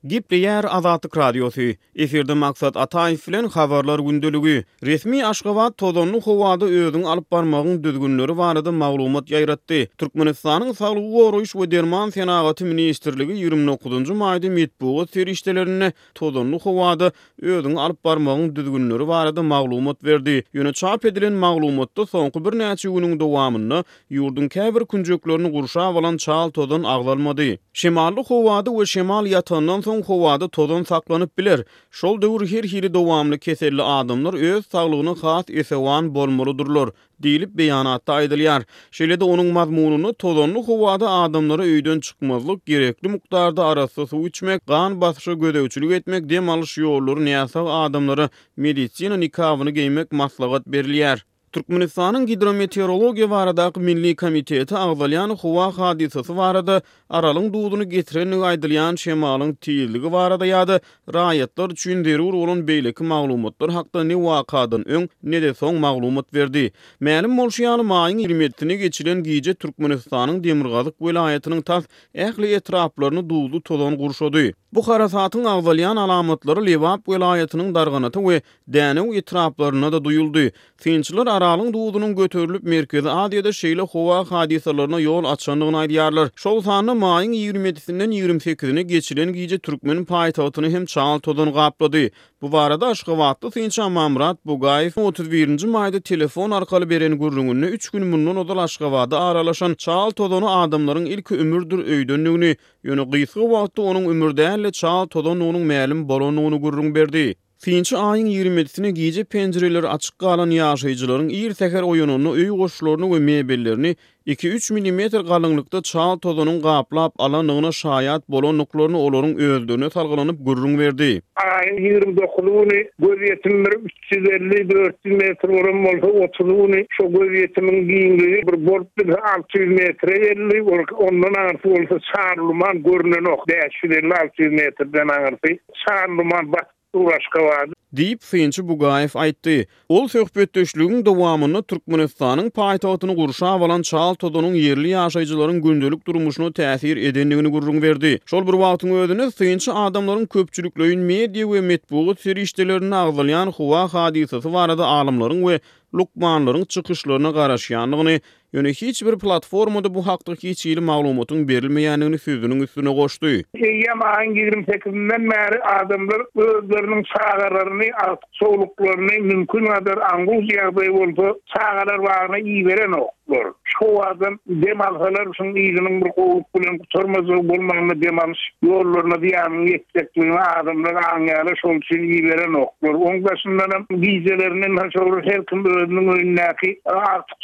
Gepleýär Azatlyk Radiosy, Efirde Maksat Ataýew bilen Habarlar gündeligi. Resmi Aşgabat tozanly howada özüňi alyp barmagyň düzgünleri barada maglumat ýaýratdy. Türkmenistanyň Saglygy goraýyş we derman senagaty ministrligi 29 maýda metbugat serişdelerinde tozanly howada özüňi alyp barmagyň düzgünleri barada maglumat berdi. Ýöne çap edilen maglumatda soňky birnäçe günüň dowamynda ýurduň käbir künjeklerini gurşap alan çal tozan agzalmady. Şemally howada we şemal ýatandan soň howada tozan saklanyp biler. Şol döwür her hili dowamly keselli adamlar öz saglygyna has esewan bolmalydyrlar. Diýlip, beýanatda aýdylýar. Şeýle-de onuň mazmunynda tozanly howada adamlara öýden çykmazlyk, gerekli mukdarda arassa suw içmek, gan basyşa gözegçilik etmek, dem alyş ýollary näsag adamlara medisina nikabyny geýmek maslahat berilýär. Türkmenistanyň Gidrometeorologiýa baradaky milli komiteti agzalýan howa hadysasy barada Aralyň duzuny getirendigi aýdylýan şemalyň tizligi barada ýa-da raýatlar üçin zerur bolan beýleki maglumatlar hakda ne wakadan öň, ne-de soň maglumat berdi. Mälim bolşy ýaly, maýyň 27-sine geçilen gije Türkmenistanyň demirgazyk welaýatynyň tas ähli etraplaryny duzly tozan gurşady. Bu harasatyň agzalýan alamatlary Lebap welaýatynyň Darganata we Dänew etraplarynda-da duýuldy. Synçylar Aralyň duzunyň göterilip, Merkezi Aziýada şeýle howa hadysalaryna ýol açandygyny aýdýarlar. Şol sanda maýyň 27-sinden 28-ine geçilen gije türkmen paýtagtyny hem çal tozan gaplady. Bu barada aşgabatly synçy Amanmyrat Bugaýew 31-nji maýda telefon arkaly beren gürrüňinde üç gün mundan ozal Aşgabada aralaşan çal tozany adamlaryň ilki ümürdir öýdendigini, ýöne gysga wagtda onuň ümür däl-de çal tozandygynyň mälim bolandygyny gürrüň berdi. Synçy aýyň 27-sine gije penjireleri açyk galan ýaşaýjylaryň ir säher oýananda öý goşlaryny we mebellerini iki-üç millimetr galyňlykda çal tozanyň gaplap alandygyna şaýat bolandyklaryny olaryň özlerine salgylanyp gürrüň berdi. Aýyň 29 güni gözýetim bir 350, 400 metr bolan bolsa, otuzy güni şo gözýetimiň giňligi bir bolup bilse 600 metre geldi, ondan aňyrsy bolsa çarluman görnenok, 550, 600 metrden aňyrsy. Çarluman batyp dur Aşgabady. Diýip, synçy Bugaýew aýtdy. Ol söhbetdeşligiň dowamynda Türkmenistanyň paýtagtyny gurşap alan çal tozanyň ýerli ýaşaýjylaryň gündelik durmuşyna täsir edendigini gürrüň berdi. Şol bir wagtyň özünde, synçy adamlaryň köpçülikleýin media we metbugat serişdelerinde agzalýan howa hadysasy barada alymlaryň we lukmanlaryň çykyşlaryna garaşýandygyny, Ýöne hiç bir platformada bu hakda hiç hili maglumatyň berilmeýändigini sözüniň üstüne goşdy. Eýýäm aýyň 28-inden bäri adamlar özleriniň çagalaryny, agtyk-çowluklaryny mümkin gadar aňgul ýagdaý bolsa çagalar bagyna iberenoklar. Şu howadan dem alsalar şuň yzynyň bir gowulyk bilen gutarmajagy bolmanda dem alyş ýollaryna zyýanyň ýetjekligini adamlar aňýarlar şol üçin iberenoklar. Oň daşyndanam gijelerine şol her kim özüniň öýündäki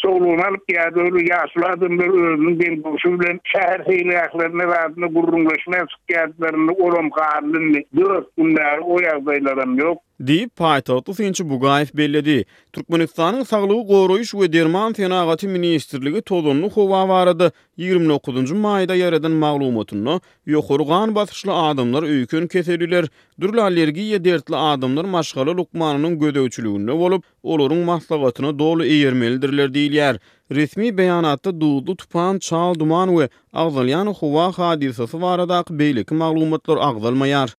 Çowlugyny alyp ýa-da ol ýaşuly adamlar özüniň deň-duşy bilen şäher seýilgählerine zadyna gürrüňleşmä çykýardylar, indi olam galdy indi dört gün bäri o ýagdaýlaram ýok. Diýip, paýtagtly synçy Bugaýew belledi. Türkmenistanyň Saglygy goraýyş we derman senagaty ministrligi tozanly howa barada 29 maýda ýaýradan maglumatynda, ýokary gan basyşly adamlar, öýken keselliler, dürli allergiýa dertli adamlar maşgala lukmanynyň gözegçiliginde bolup, olaryň maslahatyna doly eýermelidirler diýilýär. Resmi beýanatda duzly tupan, çal duman we agzalýan howa hadysasy baradaky beýleki maglumatlar agzalmaýar.